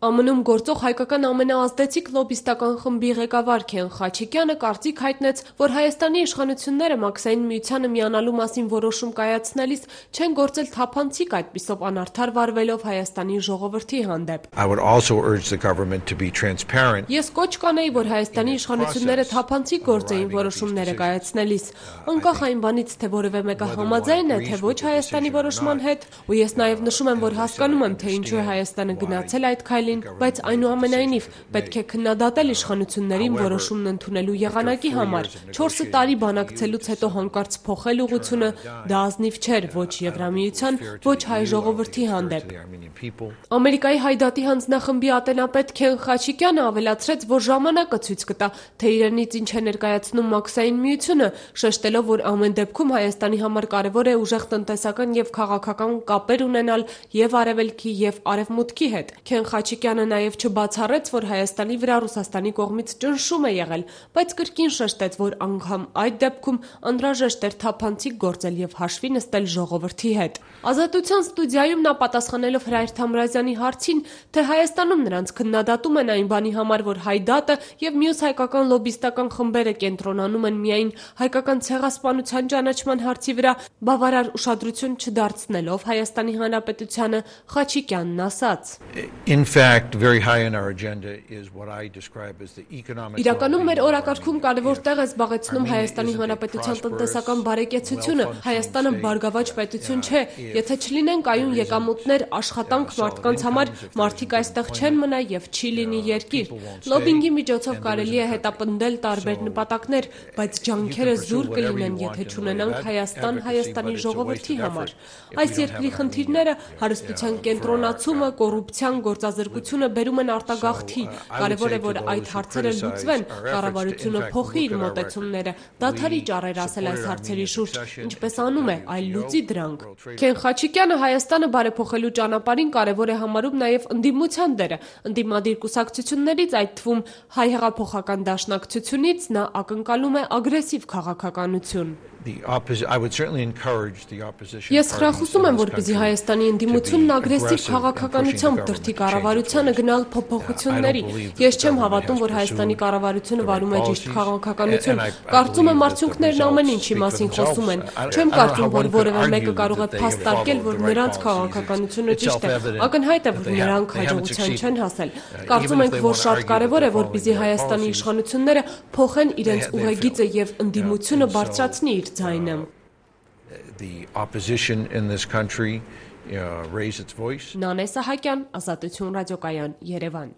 ԱՄՆ-ում գործող հայկական ամենաազդեցիկ լոբիստական խմբի ղեկավար Քեն Խաչիկյանը կարծիք հայտնեց, որ Հայաստանի իշխանությունները Մաքսային միությանը միանալու մասին որոշում կայացնելիս չեն գործել թափանցիկ, այդպիսով անարդար վարվելով Հայաստանի ժողովրդի հանդեպ։ Ես կոչ կանեի, որ Հայաստանի իշխանությունները թափանցիկ գործեին որոշումները կայացնելիս, անկախ այն բանից, թե որևէ մեկը համաձայն է, թե ոչ Հայաստանի որոշման հետ, ու ես նաև նշում եմ, որ հասկանում եմ, թե ինչու է Հայաստանը գնացել այդ քայլին, բայց այնուամենայնիվ պետք է քննադատել իշխանություններին որոշումն ընդունելու եղանակի համար։ 4 տարի բանակցելուց հետո հանկարծ փոխել ուղղությունը դա ազնիվ չէր ոչ Եվրամիության, ոչ հայ ժողովրդի հանդեպ։ Ամերիկայի Հայդատի հանձնախմբի ատենապետ Քեն Խաչիկյանը ավելացրեց, որ ժամանակը ցույց կտա, թե իրենից ինչ է ներկայացնում Մաքսային միությունը, շեշտելով, որ ամեն դեպքում Հայաստանի համար կարևոր է ուժեղ տնտեսական եւ քաղաքական կապեր ունենալ եւ Արևելքի եւ Արևմուտքի հետ։ Քեն Խաչիկյանը նաև չբացառեց, որ Հայաստանի վրա Ռուսաստանի կողմից ճնշում է եղել, բայց կրկին շեշտեց, որ անգամ այդ դեպքում անհրաժեշտ էր թափանցիկ գործել եւ հաշվի նստել ժողովրդի հետ։ Ազատության ստուդիայում նա պատասխանելով Հրայր Թամրազյանի հարցին, թե Հայաստանում նրանց քննադատում են այն բանի համար, որ Հայդատը եւ մյուս հայկական լոբիստական խմբերը կենտրոնանում են միայն հայկական ցեղասպանության ճանաչման հարցի վրա, բավարար ուշադրություն չդարձնելով Հայաստանի Հանրապետությանը, Խաչիկյանն ասաց. Իրականում մեր օրակարգում կարևոր տեղ է զբաղեցնում Հայաստանի Հանրապետության տնտեսական բարեկեցությունը։ Հայաստանը բարգավաճ պետություն չէ, եթե չլինեն կայուն եկամուտներ, աշխատանք մարդկանց համար, մարդիկ այստեղ չեն մնա եւ չի լինի երկիր։ Լոբինգի միջոցով կարելի է հետապնդել տարբեր նպատակներ, բայց ջանքերը զուր կլինեն, եթե չունենանք Հայաստան Հայաստանի ժողովրդի համար։ Այս երկրի խնդիրները հարստության կենտրոնացումը, կոռուպցիան, գործազրկությունը բերում են արտագաղթի։ Կարևոր է, որ այդ հարցերը լուծվեն, կառավարությունը փոխի իր մոտեցումները, դադարի ճառեր ասել այս հարցերի շուրջ, ինչպես անում է, այլ լուծի դրանք։ Քեն Խաչիկյանը Հայաստանը բարեփոխելու ճանապարհին կարևոր է համարում նաև ընդդիմության դերը։ Ընդդիմադիր կուսակցություններից, այդ թվում Հայ հեղափոխական դաշնակցությունից նա ակնկալում է ագրեսիվ քաղաքականություն։ Ես խրախուսում եմ, որպեսզի Հայաստանի ընդդիմությունն ագրեսիվ քաղաքականությամբ դրդի կառավարությանը գնալ փոփոխությունների։ Ես չեմ հավատում, որ Հայաստանի կառավարությունը վարում է ճիշտ քաղաքականություն։ Կարծում եմ, արդյունքներն ամեն ինչի մասին խոսում են։ Չեմ կարծում, որ որևէ մեկը կարող է փաստարկել, որ նրանց քաղաքականությունը ճիշտ է։ Ակնհայտ է, որ նրանք հաջողության չեն հասել։ Կարծում ենք, որ շատ կարևոր է, որպեսզի Հայաստանի իշխանությունները փոխեն իրենց ուղեգիծը եւ ընդդիմությունը բարձրացնի իր ձայնը։ Նանե Սահակյան, Ազատություն ռադիոկայան, Երևան։